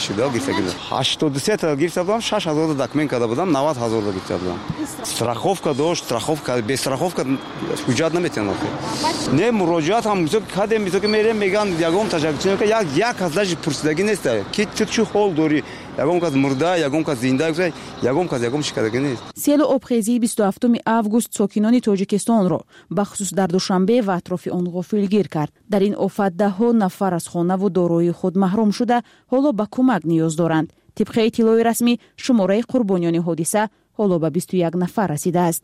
Шуда гирифта будам. 83 та гирифта будам, 6 ҳазор документ карда будам, 90 ҳазор гирифта будам. Страховка дошт, страховка, без страховка ҳуҷҷат наметавонам. Не, муроҷиат ҳам кардем, ки мерем, меган ягон ташаккур, як кас даже пурсидагӣ нест, ки ту чӣ ҳол дорӣ, ягон кас мурда, ягон кас зинда, ягон кас ягон чӣ кардагӣ нест. Селу обхезии 27 август сокинони Тоҷикистонро бахусус дар Душанбе ва атрофи он ғофилгир кард. Дар ин офат даҳҳо нафар аз хонаву дороии худ маҳрум шуда, ҳоло ба кӯмак ниёз доранд. Тибқи иттилои расмӣ, шумораи қурбониёни ҳодиса ҳоло ба 21 нафар расидааст.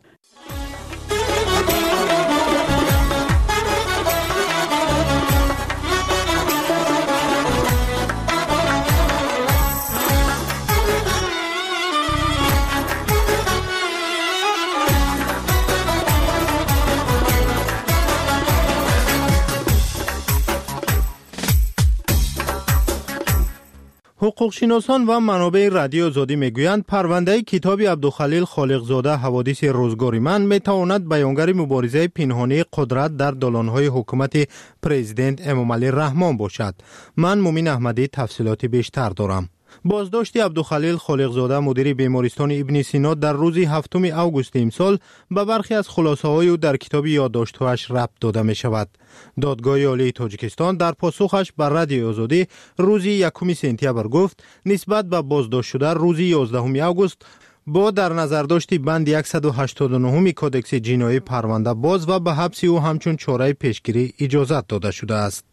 Ҳуқуқшиносон ва манобеи Радиои Озодӣ мегӯянд, парвандаи китоби Абдухалил Холиқзода «Ҳаводиси рӯзгори ман» метавонад баёнгари муборизаи пинҳонии қудрат дар долонҳои ҳукумати президент Эмомалӣ Раҳмон бошад. Ман Мумин Аҳмадӣ тафсилоти бештар дорам. Боздошти Абдухалил Холиқзода, мудири бемористони Ибни Сино, дар рӯзи 7 августи имсол ба бархе аз хулосаҳои ӯ дар китоби ёддоштҳояш рабт дода мешавад. Додгоҳи Олии Тоҷикистон дар посухаш ба Радиои Озодӣ рӯзи 1 сентябр гуфт, нисбат ба боздоштшуда рӯзи 11 август бо дар назардошти банди 189 кодекси ҷиноӣ парванда боз ва ба ҳабси ӯ ҳамчун чораи пешгирӣ иҷозат дода шудааст.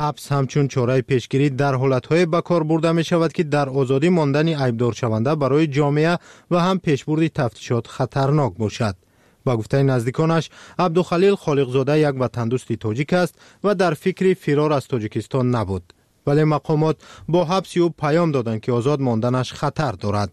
Ҳабс ҳамчун чораи пешгирӣ дар ҳолатҳое ба кор бурда мешавад, ки дар озодӣ мондани айбдоршаванда барои ҷомеа ва ҳам пешбурди тафтишот хатарнок бошад. Ба гуфтаи наздиконаш, Абдухалил Холиқзода як ватандӯсти тоҷик аст ва дар фикри фирор аз Тоҷикистон набуд. Вале мақомот бо ҳабси ӯ паём доданд, ки озод монданаш хатар дорад.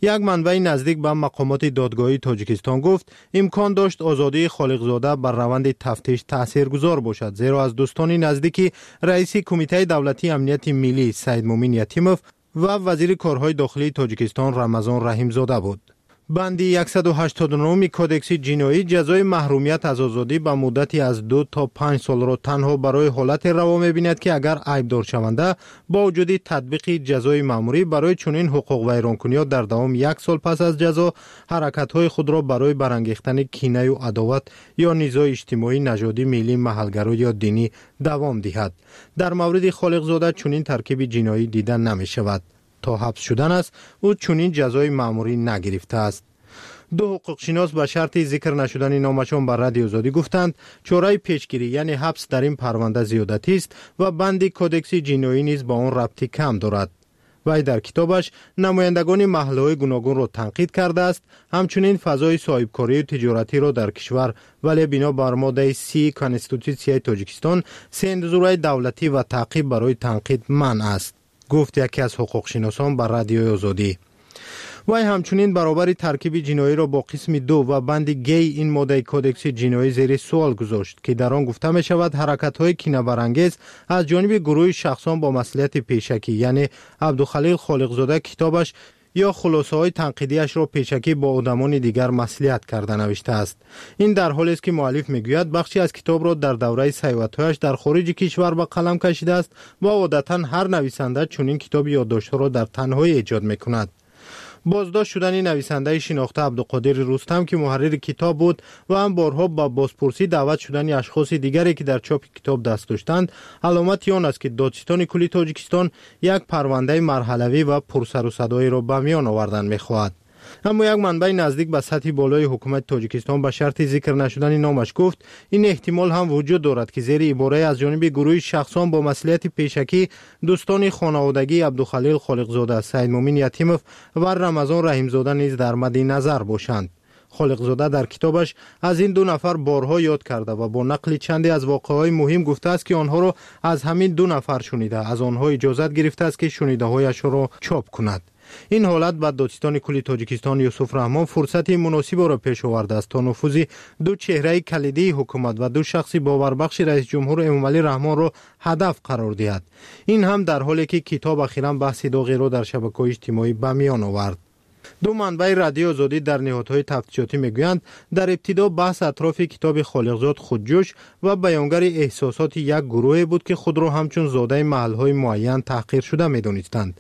Як манбаи наздик ба мақомоти додгоҳии Тоҷикистон гуфт, имкон дошт озодии Холиқзода бар раванди тафтиш таъсиргузор бошад, зеро аз дӯстони наздики раиси Кумитаи давлатии амнияти миллӣ Саидмумин Ятимов ва вазири корҳои дохилии Тоҷикистон Рамазон Раҳимзода буд. Банди 189 кодекси ҷиноӣ ҷазои маҳрумият аз озодӣ ба муддати аз 2 то 5 солро танҳо барои ҳолате раво мебинад, ки агар айбдоршаванда бо вуҷуди татбиқи ҷазои маъмурӣ барои чунин ҳуқуқвайронкуниҳо дар давоми як сол пас аз ҷазо ҳаракатҳои худро барои барангехтани кинаю адоват ё низои иҷтимоӣ, нажодӣ, миллӣ, маҳалгаро ё динӣ давом диҳад. Дар мавриди Холиқзода чунин таркиби ҷиноӣ дида намешавад. То ҳабс шудан аст, ӯ чунин ҷазои маъмурӣ нагирифтааст. Ду ҳуқуқшинос ба шарти зикр нашудани номашон ба Радиои Озодӣ гуфтанд, чораи пешгирӣ, яъне ҳабс, дар ин парванда зиёдатист ва банди кодекси ҷиноӣ низ ба он рабти кам дорад. Вай дар китобаш намояндагони маҳаллаҳои гуногунро танқид кардааст, ҳамчунин фазои соҳибкорию тиҷоратиро дар кишвар, вале бино бар моддаи 30 Конститутсияи Тоҷикистон сензураи давлатӣ ва таъқиб барои танқид манъ аст, гуфт яке аз ҳуқуқшиносон ба Радиои Озодӣ. Вай ҳамчунин баробари таркиби ҷиноиро бо қисми 2 ва банди г ин моддаи кодекси ҷиноӣ зери суол гузошт, ки дар он гуфта мешавад ҳаракатҳои кинабарангез аз ҷониби гурӯҳи шахсон бо маслиҳати пешакӣ, яъне Абдухалил Холиқзода китобаш ё хулосаҳои танқидиашро пешакӣ бо одамони дигар маслиҳат карда навиштааст. Ин дар ҳолест, ки муаллиф мегӯяд, бахше аз китобро дар давраи саёҳатҳояш дар хориҷи кишвар ба қалам кашидааст ва одатан ҳар нависанда чунин китоби ёддоштҳоро дар танҳоӣ эҷод мекунад. Боздошт шудани нависандаи шинохта Абдуқодири Рустам, ки муҳаррири китоб буд, ва ҳам борҳо ба бозпурсӣ даъват шудани ашхоси дигаре, ки дар чопи китоб даст доштанд, аломати он аст, ки Додситони кулли Тоҷикистон як парвандаи марҳалавӣ ва пурсарусадоиро ба миён овардан мехоҳад. Аммо як манбаи наздик ба сатҳи болои ҳукумати Тоҷикистон ба шарти зикр нашудани номаш гуфт, ин эҳтимол ҳам вуҷуд дорад, ки зери ибораи аз ҷониби гурӯҳи шахсон бо маслиҳати пешакӣ дӯстони хонаводагии Абдухалил Холиқзода, Саидмумин Ятимов ва Рамазон Раҳимзода низ дар мадди назар бошанд. Холиқзода дар китобаш аз ин ду нафар борҳо ёд карда ва бо нақли чанде аз воқеаҳои муҳим гуфтааст, ки онҳоро аз ҳамин ду нафар шунида, аз онҳо иҷозат гирифтааст, ки шунидаҳояшро чоп кунад. Ин ҳолат ба Додситони кулли Тоҷикистон Юсуф Раҳмон фурсати муносибро пеш овардааст, то нуфузи ду чеҳраи калидии ҳукумат ва ду шахси боварбахши раисҷумҳур Эмомалӣ Раҳмонро ҳадаф қарор диҳад. Ин ҳам дар ҳоле ки китоб ахиран баҳси доғеро дар шабакаҳои иҷтимоӣ ба миён овард. Ду манбаи Радиои Озодӣ дар ниҳодҳои тафтишотӣ мегӯянд, дар ибтидо баҳс атрофи китоби Холиқзод худҷӯш ва баёнгари эҳсосоти як гурӯҳе буд, ки худро ҳамчун зодаи маҳалҳои муайян таҳқиршуда медонистанд.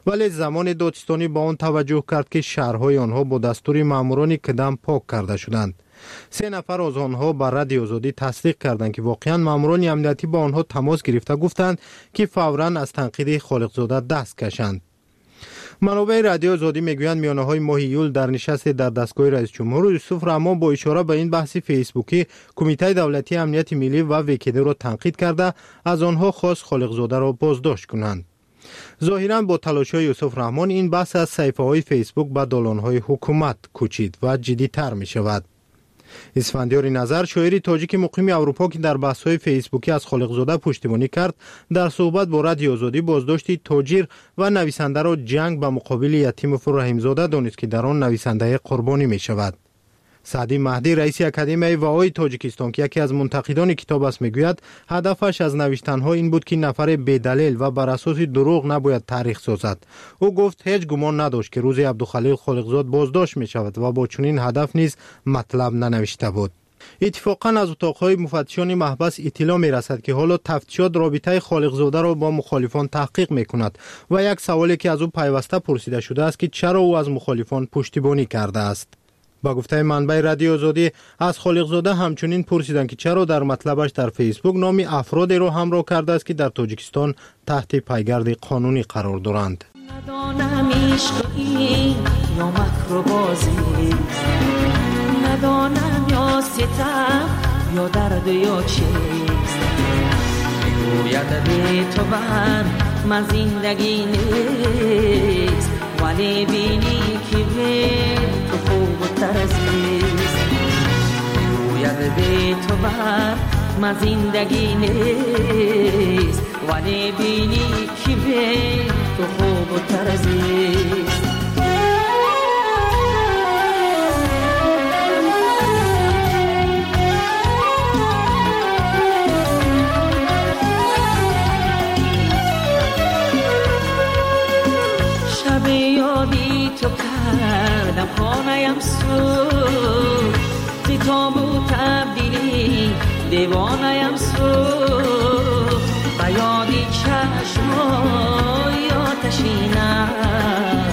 Вале замоне додситонӣ ба он таваҷҷӯҳ кард, ки шаҳрҳои онҳо бо дастури маъмурони КДАМ пок карда шуданд. Се нафар аз онҳо ба Радиои Озодӣ тасдиқ карданд, ки воқеан маъмурони амниятӣ бо онҳо тамос гирифта гуфтанд, ки фавран аз танқиди Холиқзода даст кашанд. Манобеи Радиои Озодӣ мегӯянд, миёнаҳои моҳи июл дар нишасте дар дастгоҳи раисҷумҳур Юсуф Раҳмон бо ишора ба ин баҳси фейсбукӣ Кумитаи давлатии амнияти миллӣ ва ВКД-ро танқид карда, аз онҳо хост Холиқзодаро боздошт кунанд. Зоҳиран бо талошҳои Юсуф Раҳмон ин баҳс аз саҳифаҳои Фейсбук ба долонҳои ҳукумат кӯчид ва ҷиддитар мешавад. Исфандиёри Назар, шоири тоҷики муқими Аврупо, ки дар баҳсҳои фейсбукӣ аз Холиқзода пуштибонӣ кард, дар суҳбат бо Радиои Озодӣ боздошти тоҷир ва нависандаро ҷанг ба муқобили Ятимову Раҳимзода донист, ки дар он нависандаи қурбонӣ мешавад. Саъдӣ Маҳдӣ, раиси Академияи ВАОи Тоҷикистон, ки яке аз мунтақидони китоб аст, мегӯяд, ҳадафаш аз навиштанҳо ин буд, ки нафаре бедалел ва бар асоси дурӯғ набояд таърих созад. Ӯ гуфт, ҳеҷ гумон надошт, ки рӯзи Абдухалил Холиқзод боздошт мешавад ва бо чунин ҳадаф низ матлаб нанавишта буд. Иттифоқан аз утоқҳои муфаттишони маҳбас иттилоъ мерасад, ки ҳоло тафтишот робитаи Холиқзодаро бо мухолифон таҳқиқ мекунад ва як саволе, ки аз ӯ пайваста пурсида шудааст, ки чаро ӯ аз мухолифон пуштибонӣ кардааст. Ба гуфтаи манбаи Радиои Озодӣ, аз Холиқзода ҳамчунин пурсиданд, ки чаро дар матлабаш дар Фейсбук номи афродеро ҳамроҳ кардааст, ки дар Тоҷикистон таҳти пайгарди қонунӣ қарор доранд. Надонам ишқ ин ё макру бозист, надонам ё ситам ё дард ё чист. Мегӯяд бе ту бар ман зиндагӣ нест, вале бинӣ ки бе ту хубтар зист. Мегӯяд бе ту бар ман зиндагӣ нест, вале бинӣ ки бе ту хубтар зист. تو کردم خانه‌ام سوخت، ز تاب و تبدیلی دیوانه‌ام سوخت. به یادی چشمای آتشینم،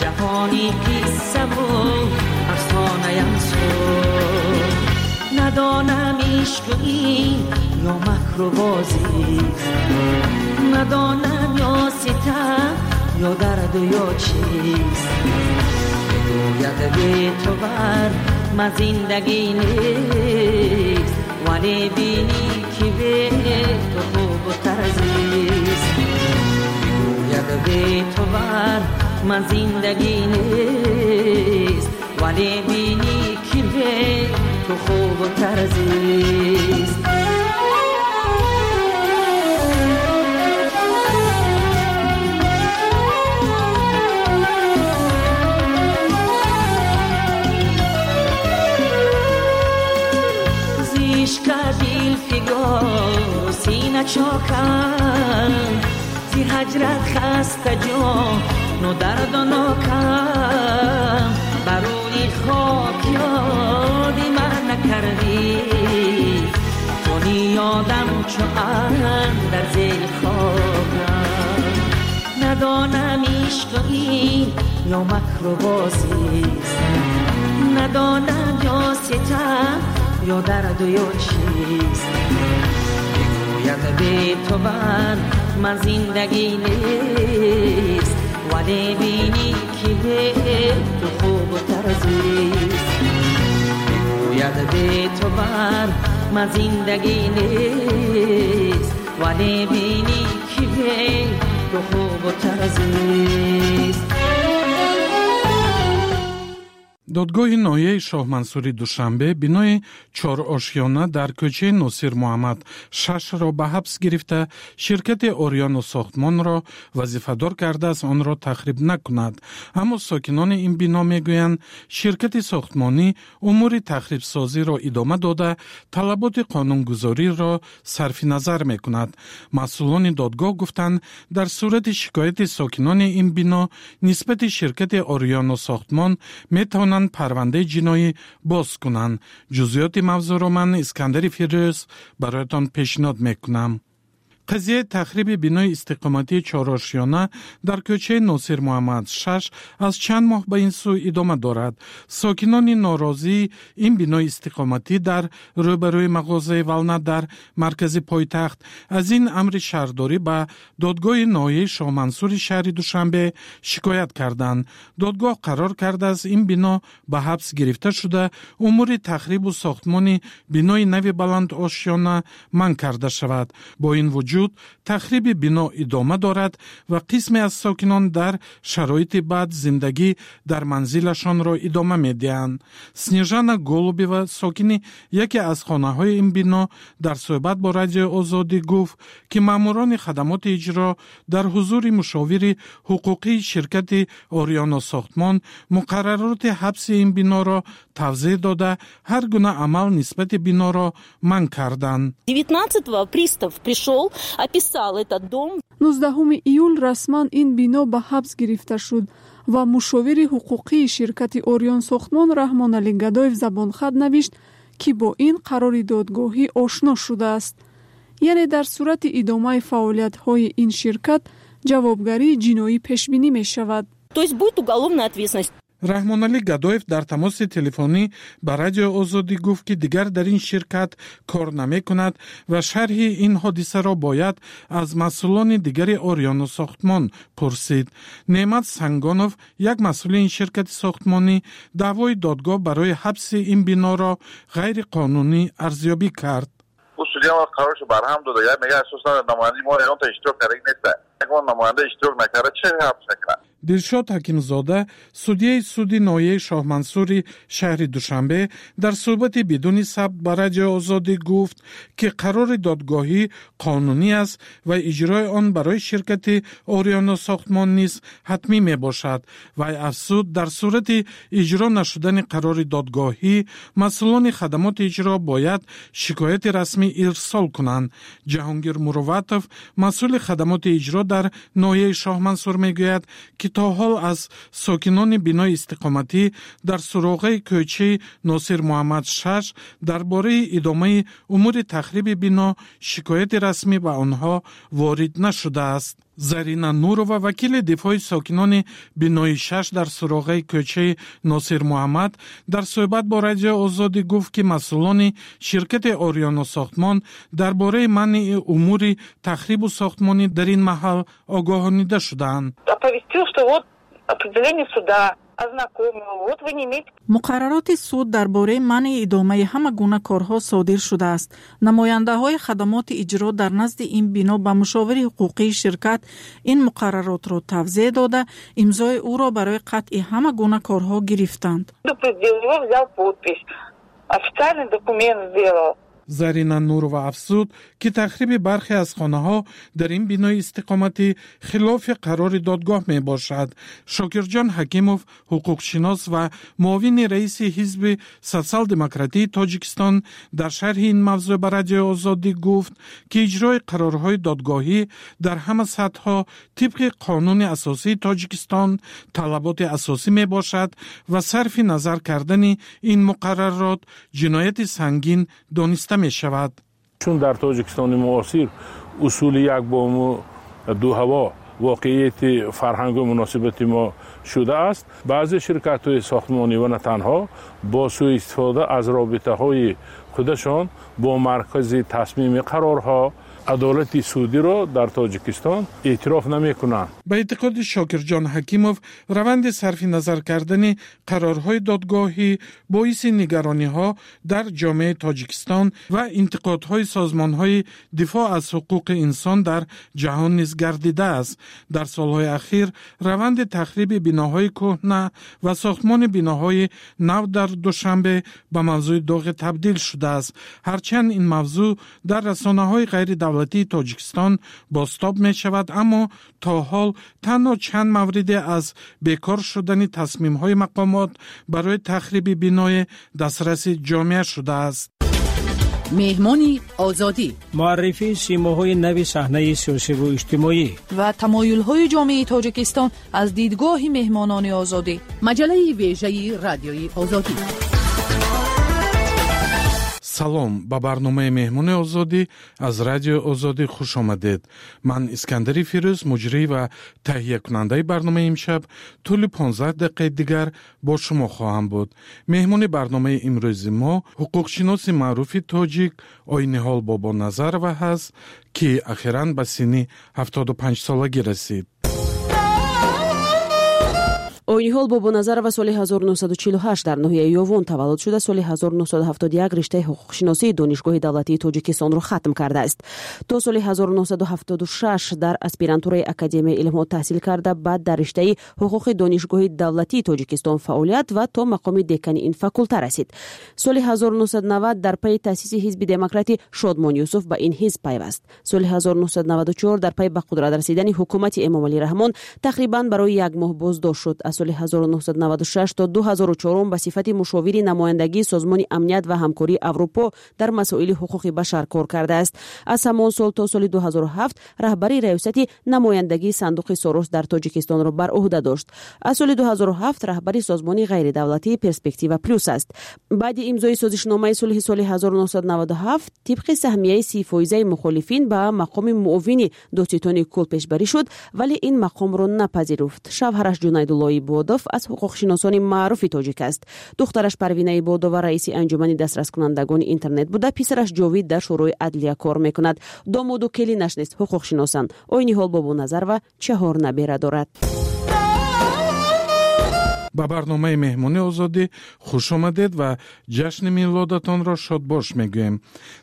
جهانی قصه و افسانه‌ام سوخت. ندانم عشق این یا مکر و بازیست، ندانم یا ستم یا درد و یا چیست. بگوید بی تو بر من زندگی نیست، ولی بینی که به تو خوبتر زیست. بگوید بی تو بر من زندگی نیست، ولی بینی که به تو خوبتر زیست. سینه چاکم زی هجرت خسته جان نو درد و ناکم، بروی خاک یادی من نکردی، کنی یادم چو اندر زیر خاکم. ندانم عشق این یا مکر و بازیست، ندانم یا ستم یا درد و یا چیست. بگوید بی تو بر من زندگی نیست، ولی بینی که به تو خوبتر زیست. بگوید بی تو بر من زندگی نیست، ولی بینی که به تو خوبتر زیست. Додгоҳи ноҳияи Шоҳмансури Душанбе бинои чорошёна дар кӯчаи Носир Муҳаммад 6-ро ба ҳабс гирифта, ширкати Ориёну сохтмонро вазифадор кардааст онро тахриб накунад. Аммо сокинони ин бино мегӯянд, ширкати сохтмонӣ умури тахрибсозиро идома дода, талаботи қонунгузориро сарфи назар мекунад. Масъулони додгоҳ гуфтанд, дар сурати шикояти сокинони ин бино нисбати ширкати Ориёну сохтмон метавонанд парвандаи ҷиноӣ боз кунанд. Ҷузъиёти мавзӯъро ман, Искандари Фирӯз, бароятон пешниҳод мекунам. Қазияи тахриби бинои истиқоматии чорошёна дар кӯчаи Носир Муҳаммад 6 аз чанд моҳ ба ин сӯ идома дорад. Сокинони норозии ин бинои истиқоматӣ дар рӯбарӯи мағозаи Вална дар маркази пойтахт аз ин амри шаҳрдорӣ ба додгоҳи ноҳияи Шоҳмансури шаҳри Душанбе шикоят карданд. Додгоҳ қарор кардааст, ин бино ба ҳабс гирифта шуда, умури тахрибу сохтмони бинои нави баландошёна манъ карда шавад. Бо ин вуҷуд тахриби бино идома дорад ва қисме аз сокинон дар шароити бад зиндагӣ дар манзилашонро идома медиҳанд. Снежана Голубева, сокини яке аз хонаҳои ин бино, дар суҳбат бо Радиои Озодӣ гуфт, ки маъмурони хадамоти иҷро дар ҳузури мушовири ҳуқуқии ширкати Ориёно сохтмон муқаррароти ҳабси ин биноро тавзеҳ дода, ҳар гуна амал нисбати биноро манъ карданд. 19-го пристав пришел, описал этот дом. 19 июл расман ин бино ба ҳабс гирифта шуд ва мушовири ҳуқуқии ширкати Ориён сохтмон Раҳмоналӣ Гадоев забонхат навишт, ки бо ин қарори додгоҳӣ ошно шудааст. Яъне дар сурати идомаи фаъолиятҳои ин ширкат ҷавобгарии ҷиноӣ пешбинӣ мешавад. То есть будет уголовная ответственность. Раҳмоналӣ Гадоев дар тамоси телефонӣ ба Радиои Озодӣ гуфт, ки дигар дар ин ширкат кор намекунад ва шарҳи ин ҳодисаро бояд аз масъулони дигари Ориёну сохтмон пурсид. Неъмат Сангонов, як масъули ин ширкати сохтмонӣ, даъвои додгоҳ барои ҳабси ин биноро ғайриқонунӣ арзёбӣ кард. Ӯ судья қароршо барҳам дода, як мега, асосан намояндаи мо ягонта иштирок кардаги неста, ягон намоянда иштирок накарда, чӣ ҳабс мекунад? Дилшод Ҳакимзода, судяи суди ноҳияи Шоҳмансури шаҳри Душанбе, дар суҳбати бидуни сабт ба Радиои Озодӣ гуфт, ки қарори додгоҳӣ қонунӣ аст ва иҷрои он барои ширкати Ориёно сохтмон низ ҳатмӣ мебошад. Вай афзуд, дар сурати иҷро нашудани қарори додгоҳӣ масъулони хадамоти иҷро бояд шикояти расмӣ ирсол кунанд. Ҷаҳонгир Муруватов, масъули хадамоти иҷро дар ноҳияи Шоҳмансур, мегӯяд, ки то ҳол аз сокинони бинои истиқоматӣ дар суроғаи кӯчаи Носир Муҳаммад 6 дар бораи идомаи умури тахриби бино шикояти расмӣ ба онҳо ворид нашудааст. Зарина Нурова, вакили дифои сокинони бинои 6 дар суроғаи кӯчаи Носир Муҳаммад, дар суҳбат бо Радиои Озодӣ гуфт, ки масъулони ширкати Ориёну сохтмон дар бораи манъи умури тахрибу сохтмонӣ дар ин маҳал огоҳонида шудаанд. Оповестил, что вот определение суда, ознакомил, вот вы не имеете. Муқаррароти суд дар бораи манъи идомаи ҳама гуна корҳо содир шудааст. Намояндаҳои хадамоти иҷро дар назди ин бино ба мушовири ҳуқуқии ширкат ин муқарраротро тавзеҳ дода, имзои ӯро барои қатъи ҳама гуна корҳо гирифтанд. Предупредил его, взял подпись, официальный документ сделал. Зарина Нурова афзуд, ки тахриби бархе аз хонаҳо дар ин бинои истиқоматӣ хилофи қарори додгоҳ мебошад. Шокирҷон Ҳакимов, ҳуқуқшинос ва муовини раиси Ҳизби Социал-демократии Тоҷикистон, дар шарҳи ин мавзӯъ ба Радиои Озодӣ гуфт, ки иҷрои қарорҳои додгоҳӣ дар ҳама сатҳҳо тибқи қонуни асосии Тоҷикистон талаботи асосӣ мебошад ва сарфи назар кардани ин муқаррарот ҷинояти сангин дониста мешавад. Чун дар Тоҷикистони муосир усули як бому ду ҳаво воқеияти фарҳангу муносибати мо шудааст, баъзе ширкатҳои сохтмонӣ ва на танҳо бо сӯистифода аз робитаҳои худашон бо маркази тасмими қарорҳо Адолати судиро дар Тоҷикистон эътироф намекунанд. Ба эътиқоди Шокирҷон Ҳакимов, раванди сарфи назар кардани қарорҳои додгоҳӣ боиси нигарониҳо дар ҷомеаи Тоҷикистон ва интиқодҳои созмонҳои дифоъ аз ҳуқуқи инсон дар ҷаҳон низ гардидааст. Дар солҳои ахир раванди тахриби биноҳои кӯҳна ва сохтмони биноҳои нав дар Душанбе ба мавзӯи доғе табдил шудааст. Ҳарчанд ин мавзӯъ дар расонаҳои ғайридавлатии Тоҷикистон бозтоб мешавад, аммо то ҳол танҳо чанд мавриде аз бекор шудани тасмимҳои мақомот барои тахриби биное дастраси ҷомеа шудааст. Меҳмони Озодӣ. Муаррифии симоҳои нави саҳнаи сиёсиву иҷтимоӣ ва тамоюлҳои ҷомеаи Тоҷикистон аз дидгоҳи меҳмонони Озодӣ. Маҷаллаи вежаи Радиои Озодӣ. Салом, ба барномаи Меҳмони Озодӣ аз Радиои Озодӣ хуш омадед. Ман Искандари Фирӯз, муҷрӣ ва таҳиякунандаи барномаи имшаб, тӯли 15 дақиқаи дигар бо шумо хоҳам буд. Меҳмони барномаи имрӯзи мо ҳуқуқшиноси маъруфи тоҷик Ойниҳол Бобоназарова ҳаст, ки ахиран ба синни 75 солагӣ расид. Ойниҳол Бобоназарова соли 1948 дар ноҳияи Ёвон таваллуд шуда, соли 1971 риштаи ҳуқуқшиносии Донишгоҳи давлатии Тоҷикистонро хатм кардааст. То соли 1976 дар аспирантураи Академияи илмҳо таҳсил карда, баъд дар риштаи ҳуқуқи Донишгоҳи давлатии Тоҷикистон фаъолият ва то мақоми декани ин факулта расид. Соли 1990 дар пайи таъсиси Ҳизби демократи Шодмон Юсуф ба ин ҳизб пайваст. Соли 1994 дар пайи ба қудрат расидани ҳукумати Эмомалӣ Раҳмон тақрибан барои як моҳ боздошт шуд. Аз соли 1996 то 2004 ба сифати мушовири намояндагии Созмони амният ва ҳамкории Аврупо дар масоили ҳуқуқи башар кор кардааст. Аз ҳамон сол то соли 2007 раҳбари раёсати намояндагии Сандуқи Сорос дар Тоҷикистонро бар ӯҳда дошт. Аз соли 2007 раҳбари созмони ғайридавлатии Перспектива Плюс аст. Баъди имзои созишномаи сулҳи соли 1997 тибқи саҳмияи 30-фоизаи мухолифин ба мақоми муовини додситони кул пешбарӣ шуд, вале ин мақомро напазируфт. Шавҳараш Ҷунайдулло Ибодов аз ҳуқуқшиносони маъруфи тоҷик аст. Духтараш Парвина Ибодова раиси анҷумани дастраскунандагони интернет буда, писараш Ҷовид дар Шӯрои адлия кор мекунад. Домоду келинаш низ ҳуқуқшиносанд. Ойниҳол Бобоназарова чаҳор набера дорад. Ба барномаи Меҳмони Озодӣ хуш омадед ва ҷашни милодатонро шодбош мегӯем.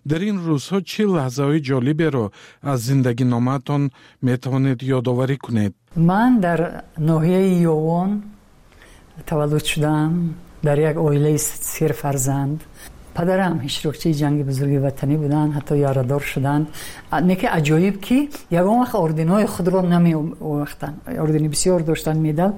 Дар ин рӯзҳо чӣ лаҳзаҳои ҷолиберо аз зиндагиномаатон метавонед ёдоварӣ кунед? Ман дар ноҳияи Ёвон таваллуд шудам, дар як оилаи серфарзанд. Падарам иштирокчии ҷанги бузурги ватанӣ буданд, ҳатто ярадор шуданд. Неки аҷоиб, ки ягон вақт орденҳои худро намеовахтанд. Ордени бисёр доштанд, медал.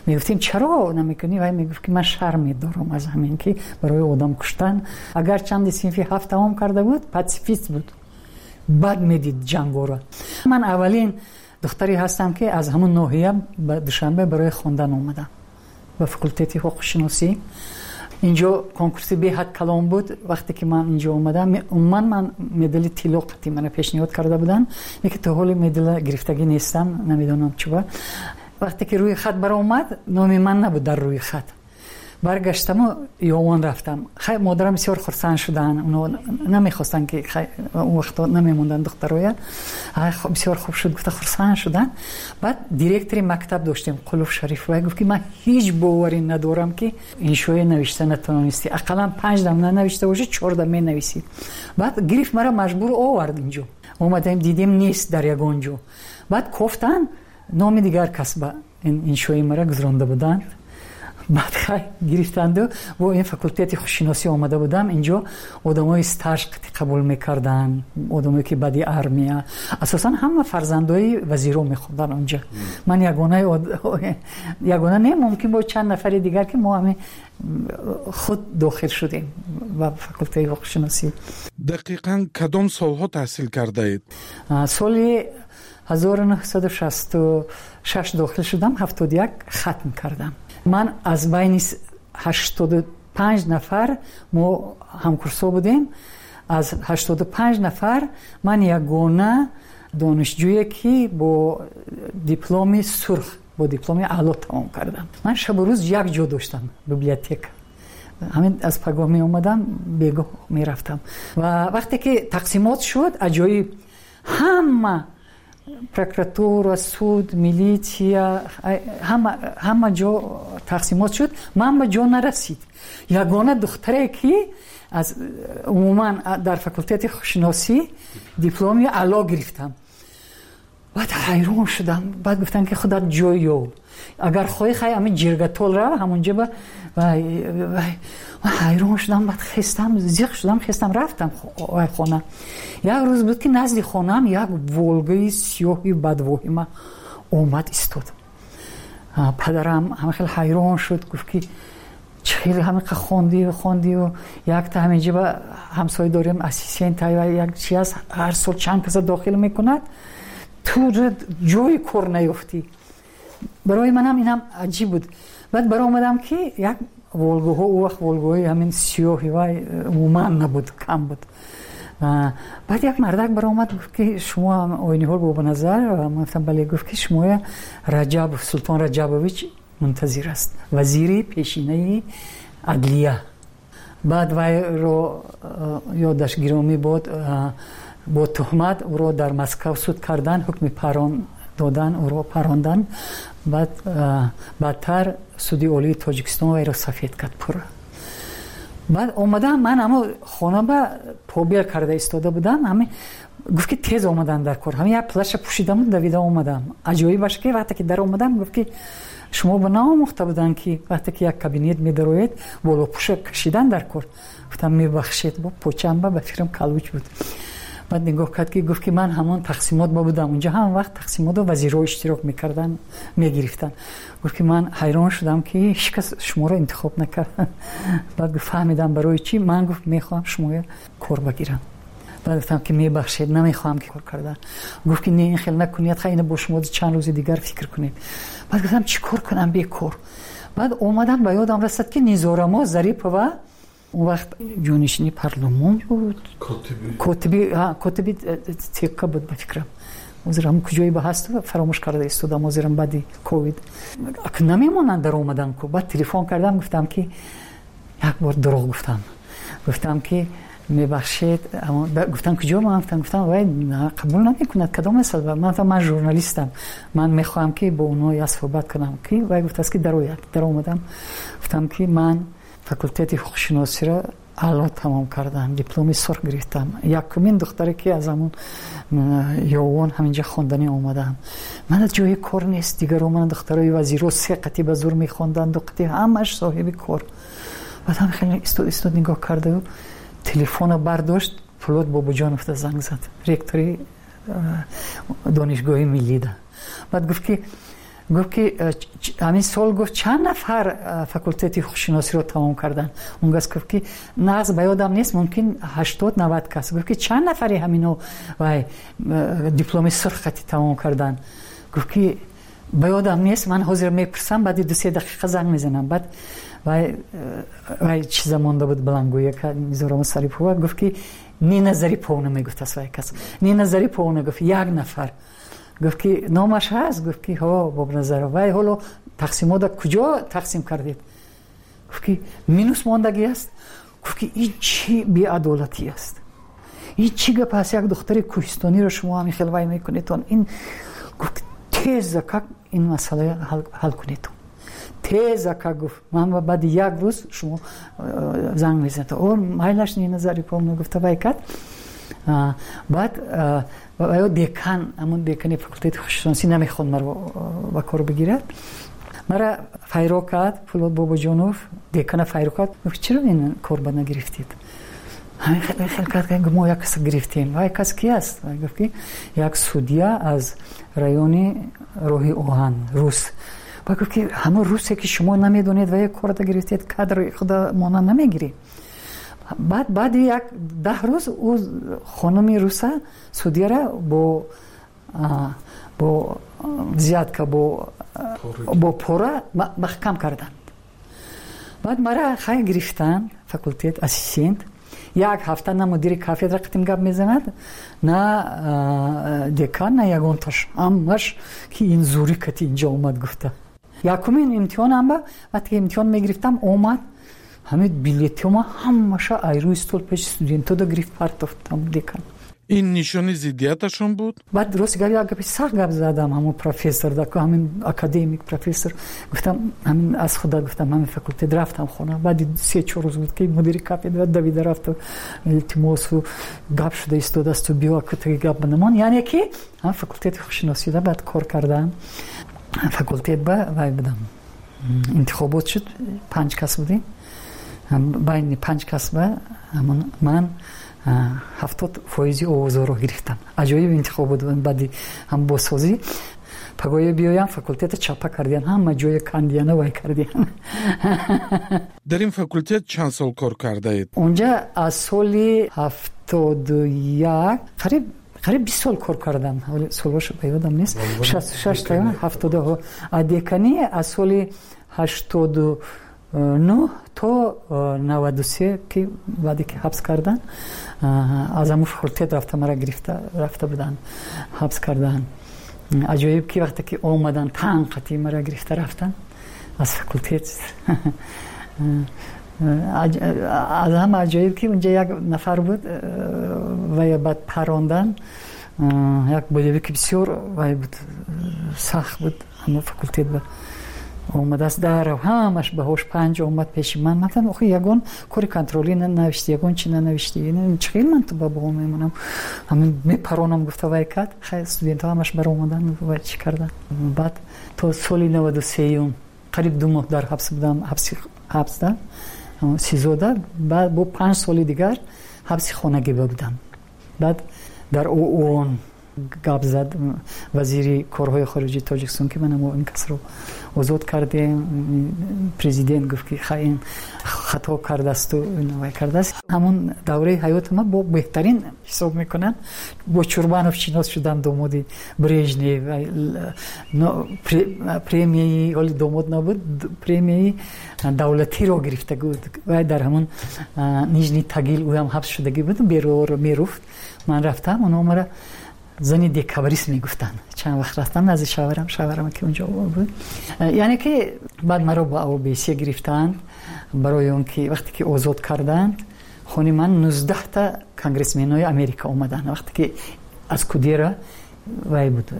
Мегуфтем, чаро намекунӣ? Вай мегуфт, ки ман шарм медорам аз ҳамин, ки барои одам куштан. Агар чанди синфи ҳафт тамом карда буд, патсифист буд, бад медид ҷангоро. Ман аввалин духтаре ҳастам, ки аз ҳамон ноҳия ба Душанбе барои хондан омадам, ба факултети ҳуқуқшиносӣ. Инҷо конкурси беҳад калон буд. Вақте ки ман инҷо омадам, умуман ман медали тилло қатъи мана пешниҳод карда буданд, лекин то ҳоли медала гирифтагӣ нестам, намедонам чуба. Вақте ки рӯи хат баромад, номи ман набуд дар рӯи хат. Баргаштаму Ёвон рафтам. Хай, модарам бисёр хурсанд шуданд, оно намехостанд, ки он вақто намемонданд духтароя. Бисёр хуб шуд, гуфта хурсанд шуданд. Баъд директори мактаб доштем, Қулуф Шариф, вай гуфт, ки ман ҳеҷ боварӣ надорам, ки иншоя навишта натавонистӣ, ақаллан панҷ дам нанавишта бошӣ, чор дам менависӣ. Баъд гирифт мара, маҷбур овард. Инҷо омадаем, дидем, нест дар ягон ҷо. Баъд кофтанд, номи дигар кас ба иншои мара гузаронда буданд. Баъд хай гирифтанду бо ин факултети хушшиносӣ омада будам. Инҷо одамои стаж қабул мекарданд, одамое ки баъди армия, асосан ҳама фарзандои вазиро мехонданд онҷа. Ман ягона не, мумкин бо чанд нафари дигар, ки мо ҳамин худ дохил шудем ба факултети ҳуқуқшиносӣ. Дақиқан кадом солҳо таҳсил кардаед? Соли 1966 дохил шудам, 71 хатм кардам. Ман аз байни 85 нафар, мо ҳамкурсо будем, аз 85 нафар ман ягона донишҷӯе, ки бо дипломи сурх, бо дипломи аъло тамом кардам. Ман шабу рӯз як ҷо доштам, библиотека. Ҳамин аз пагоҳ меомадам, бегоҳ мерафтам. Ва вақте ки тақсимот шуд, аҷоиб. Ҳама прокуратура, суд, милитсия, ҳама ҷо тақсимот шуд. Ман ба ҷо нарасид. Ягона духтаре, ки аз умуман дар факултети ҳуқуқшиносӣ дипломи аъло гирифтам. Баъд ҳайрон шудам. Баъд гуфтам, ки худат ҷой ёб, агар хоҳӣ, хай ҳамин ҷиргатол рав, ҳамонҷа. Ба ҳайрон шудам. Баъд хестам, зиқ шудам, хестам, рафтам хона. Як рӯз буд, ки назди хонаам як Волгаи сиёҳи бадвоҳима омад, истод. Падарам ҳама хеле ҳайрон шуд, гуфт, ки чӣ хеле ҳамиқа хондию хондию. Якта ҳаминҷа ба ҳамсоя дорем, ассистент, як чи аст, ҳар сол чанд каса дохил мекунад, ту ҷои кор наёфтӣ. Барои манам инам аҷиб буд. Баъд баромадам, ки як Волгаҳо, ӯ вақт Волгаҳои ҳамин сиёҳи вай умуман набуд, кам буд. Баъд як мардак баромад, гуфт, ки шумо Ойниҳол Бобоназар? Ман гуфтам: бале. Гуфт, ки шумоя Раҷабов Султон Раҷабович мунтазир аст, вазири пешинаи адлия. Баъд вайро, ёдаш гиромӣ бод, бо туҳмат ӯро дар Москав суд кардан, ҳукми парон додан, ӯро парондан. Баъд баъдтар Суди Олии Тоҷикистон вайро сафед кард пурра. Баъд омадам, ман ҳамо хона ба побел карда истода будам. Ҳами гуфт, ки тез омадан дар кор. Ҳами як плаша пӯшидаму давида омадам. Аҷоибаш, ки вақте ки дар омадам, гуфт, ки шумо ба наомӯхта буданд, ки вақте ки як кабинет медароед, болопӯша кашидан дар кор. Гуфтам: мебахшед. Бо почамба ба фикрам калуч буд. Баъд нигоҳ кард, ки гуфт, ки ман ҳамон тақсимот ба будам унҷа, ҳама вақт тақсимотро вазирҳо иштирок мекарданд, мегирифтанд. Гуфт, ки ман ҳайрон шудам, ки ҳеҷ кас шуморо интихоб накард. Баъд гуфт: фаҳмидам барои чӣ. Ман, гуфт, мехоҳам шумоя кор багирам. Баъд гуфтам, ки мебахшед, намехоҳам ки кор кардан. Гуфт, ки не, ин хел накунед, хай ина бо шумо чанд рӯзи дигар фикр кунед. Баъд гуфтам: чӣ кор кунам бекор? Баъд омадам, ба ёдам расад, ки Низорамо Зарипова он вақт ҷонишини парлумон буд, котиби ЦК буд, ба фикрам. Ҳозир ҳам куҷое ба ҳаст, фаромӯш карда истодам. Ҳозирам баъди ковид намемонанд дар омадан ку. Баъд телефон кардам, гуфтам, ки як бор дурӯғ гуфтам, гуфтам, ки мебахшед. Гуфтам: куҷо? Ман гуфтам: вай қабул намекунад, кадом аст? Ман гуфтам: ман журналистам, ман мехоҳам, ки бо онҳо як суҳбат кунам, ки вай гуфтааст, ки дарояд. Даромадам, гуфтам, ки ман факултети ҳуқуқшиносиро аъло тамом кардам, дипломи сурх гирифтам, якумин духтаре, ки аз ҳамон Ёвон ҳаминҷа хонданӣ омадам. Мана ҷои кор нест. Дигаро, мана духтарои вазиро се қатӣ ба зур мехонданд, ду қатӣ, ҳамаш соҳиби кор. Баъд ҳам хеле истод, истод, нигоҳ кардаю телефона бардошт, Пулод Бобоҷоновда занг зад, ректори Донишгоҳи миллида. Баъд гуфт, ки ҳамин сол, гуфт, чанд нафар факултети ҳуқуқшиносиро тамом карданд? Он кас гуфт, ки нағз ба ёдам нест, мумкин 80-90 кас. Гуфт, ки чанд нафари ҳамино вай дипломи сурх хати тамом карданд? Гуфт, ки ба ёдам нест, ман ҳозир мепурсам, баъди 2-3 дақиқа занг мезанам. Баъд вай чиза монда буд, баландгӯяка. Низорамо Сарипова гуфт, ки Нина Зариповна мегуфтааст вай кас. Нина Зариповна гуфт: як нафар. Гуфт, ки номаш ҳаст? Гуфт, ки ҳо, Бобназаров. Вай ҳоло тақсимота куҷо тақсим кардед? Гуфт, ки минус мондагӣ аст. Гуфт, ки ин чӣ беадолатӣ аст, ин чӣ гап аст? Як духтари кӯҳистониро шумо ҳамин хел вай мекунедон. Ин, гуфт, теза как ин масъала ҳал кунедон, теза как. Гуфт: ман баъди як рӯз шумо занг мезанед. О, майлаш, Нина Зариповна гуфта, вай кард. Баъд ё декан, ҳамон декани факултети ҳуқуқшиносӣ намехонд маро ба кор бигирад. Мара файро кард Пулод Бобоҷонов, декана файро кард. Гуфт: чаро ин кор ба нагирифтед? Ҳамин хел кард, мо як каса гирифтем. Вай кас ки аст? Гуфт, ки як судья аз райони роҳи оҳан, рус. Ба гуфт, ки ҳамон русе, ки шумо намедонед, ва як корда гирифтед, кадри худа мона намегиред. Баъд баъди як 10 рӯз ӯ хонуми руса, судьяра бо взятка, бо пора маҳкам карданд. Баъд мара хай гирифтанд факултет ассистент. Як ҳафта на мудири кафедра қатим гап мезанад, на декан, на ягонташ. Ҳамаш ки ин зури кати инҷо омад гуфта. Якумин имтиҳонам вақте ки имтиҳон мегирифтам, омад, ҳамин билетҳома ҳамаша ай рӯи стол пеши студентода гирифт, партофт декан. Ин нишони зиддияташон буд? Баъд рости гап, як гапи сахт гап задам ҳамон профессор, ҳамин академик профессор. Гуфтам, ҳамин аз худа гуфтам, ҳамин факултет рафтам хона. Баъди 3-4 рӯз буд, ки мудири кафедра давида рафту илтимосу гап шуда истодаасту, биё, кутаги гап банамон. Яъне ки ҳам факултети ҳуқуқшиносида баъд кор кардам. Факултет ба вай будам, интихобот шуд, панҷ кас будем. Байни панҷ кас ба ман 70% овозҳоро гирифтам. Аҷоиб интихобот баъди ҳам бозсозӣ. Пагоҳе биёям, факултета чапа кардиян, ҳама ҷоя кандияна, вай кардиян. Дар ин факултет чанд сол кор кардаед? Онҷа аз соли 71 қариб 20 сол кор кардам. Солҳошо ба ёдам нест, 66 та ҳафтоду деканӣ, аз соли 89 то 93, ки баъде ки ҳабс кардан, аз ҳамун факултет рафта, мара гирифта рафта буданд, ҳабс кардан. Аҷоиб ки вақте ки омадан, танқати мара гирифта рафтан аз факултет. Аз ҳама аҷоиб ки унҷа як нафар буд, вая баъд парондан, як болевики бисёр вай буд, сахт буд. Ҳамун факултет ба омадааст, дарав ҳамаш баҳош 5, омад пеши ман. Ман гуфтам: «Охи, ягон кори контролӣ нанавиштӣ, ягон чи нанавиштӣ, чӣ хел ман ту ба баҳо мемонам? Ҳамин мепаронам», гуфта вай кард. Хай, студентҳо ҳамаш баромадан, вай чӣ кардан. Баъд то соли 93-юм қариб 2 моҳ дар ҳабс будам, ҳабсда, СИЗОда. Баъд бо 5 соли дигар ҳабси хонагӣ будам. Баъд дар ООН гап зад вазири корҳои хориҷии Тоҷикистон, ки мана мо ин касро озод кардем. Президент гуфт, ки ха, ин хато кардасту вай кардааст. Ҳамон давраи ҳаёти ман бо беҳтарин ҳисоб мекунам. Бо Чурбанов шинос шудам, домоди Брежнев. Премияи, ҳоли домод набуд, премияи давлатиро гирифта буд. Вай дар ҳамон Нижний Тагил ӯям ҳабс шудагӣ буд, меруфт. Ман рафтам, онҳо мара зани декабрист мегуфтанд. Чанд вақт рафтам назди шаварам, шаварам ки унҷо буд. Яъне ки баъд маро ба ОБСЕ гирифтанд, барои он ки вақте ки озод карданд, хони ман 19та конгрессменои Америка омаданд. Вақте ки аз Кудера вай буд,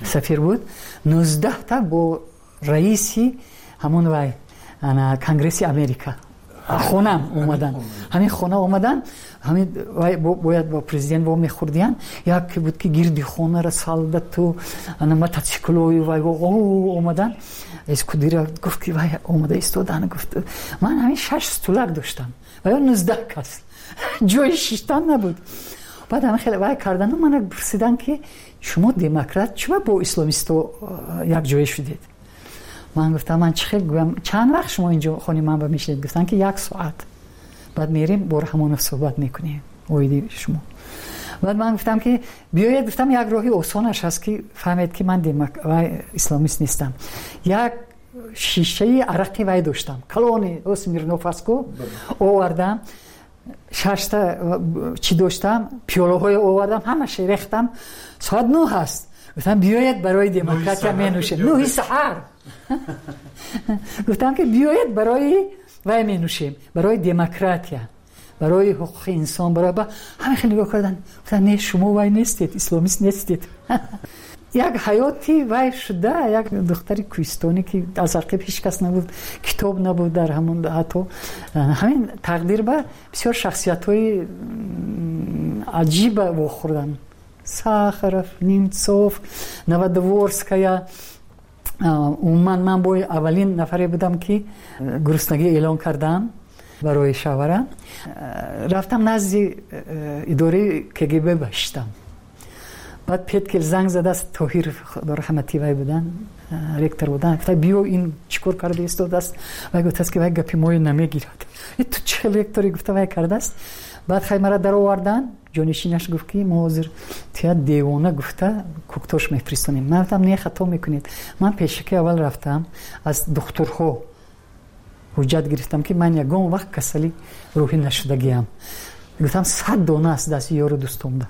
сафир буд, 19та бо раиси ҳамон вай Конгресси Америка хонам омаданд. Ҳамин хона омаданд, ҳамин вай бояд бо президент во мехӯрдиянд. Яке буд, ки гирди хонара солдату мотоциклою вай омаданд. Эскудира гуфт, ки вай омада истодан. Гуфт, ман ҳамин шаш стулак доштам ва ё 19 кас, ҷои шиштан набуд. Баъд ҳамин хеле вай кардану мана пурсиданд, ки шумо демократ, чуба бо исломисто якҷоя шудед? Ман гуфтам, ман чӣ хел гӯям? Чанд вақт шумо инҷо хони ман ба мешинед? Гуфтанд, ки як соат, баъд мерем, бо Раҳмонов суҳбат мекунем оиди шумо. Баъд ман гуфтам, ки биёед, гуфтам, як роҳи осонаш ҳаст, ки фаҳмед, ки ман исламист нестам. Як шишаи арақи вай доштам, калони Смирноф астку, овардам, шашта чӣ доштам, пиёлаҳое овардам, ҳамаша рехтам. Соат 9 ҳаст. Гуфтам, биёед, барои демократия менӯшем. 9-и саҳар. Гуфтам, ки биёед, барои вай менӯшем, барои демократия, барои ҳуқуқи инсон, барои ҳама. Хеле нигоҳ кардан, гуфтам, не, шумо вай нестед, исломист нестед. Як ҳаёти вай шуда, як духтари кӯҳистонӣ, ки аз ақиб ҳеҷ кас набуд, китоб набуд дар ҳамон, ҳатто ҳамин тақдир ба бисёр шахсиятҳои аҷиба вохӯрдам: Сахаров, Немцов, Новодворская. Умуман, ман бо аввалин нафаре будам, ки гуруснагӣ эълон кардам барои шавҳарам. Рафтам назди идораи КГБ, баштам. Баъд Петкел занг задааст, Тоҳир раҳмати вай будан, ректор будан. Гуфта, биё, ин чӣ кор карда истодааст? Вай гуфтааст, ки вай гапи моё намегирад, ту чӣ хел ректори, гуфта вай кардааст. Баъд хай мара даровардан. Ҷонишинаш гуфт, ки мо ҳозир тия девона гуфта Куктош мефиристонем. Ман гуфтам, не, хато мекунед. Ман пешаки аввал рафтам, аз духтурҳо ҳуҷҷат гирифтам, ки ман ягон вақт касали рӯҳӣ нашудагиам. Гуфтам, 100 дона аст дасти ёру дӯстомда.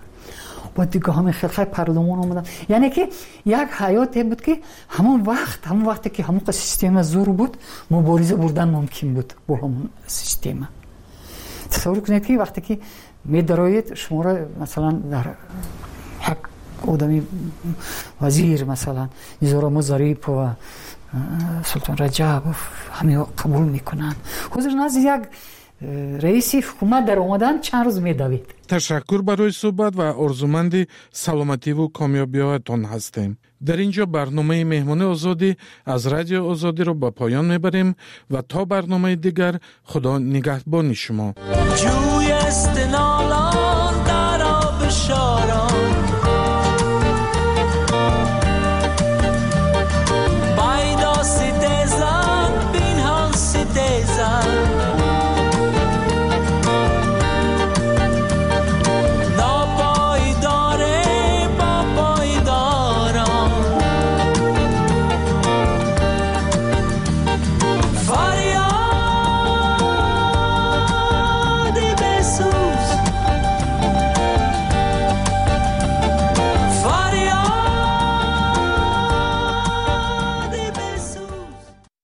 Баъд дига ҳамин хел хай парлумон омадам. Яъне ки як ҳаёте буд, ки ҳамон вақт, ҳамон вақте ки ҳамон система зур буд, мубориза бурдан мумкин буд бо ҳамон система. Тасаввур кунед, ки вақте ки Медароед, шуморо, масалан, дар як одами вазир, масалан, Низорамо Зарипова, Султон Раҷабов, ҳамиҳо қабул мекунанд. Ҳозир назди як раиси ҳукумат дар омадан чанд рӯз медавед. Ташаккур барои суҳбат ва орзуманди саломативу комёбиҳоятон ҳастем. Дар ин ҷо барномаи Меҳмони Озодӣ аз Радио Озодиро ба поён мебарем ва то барномаи дигар Худо нигаҳбони шумо. Ҷӯй аст.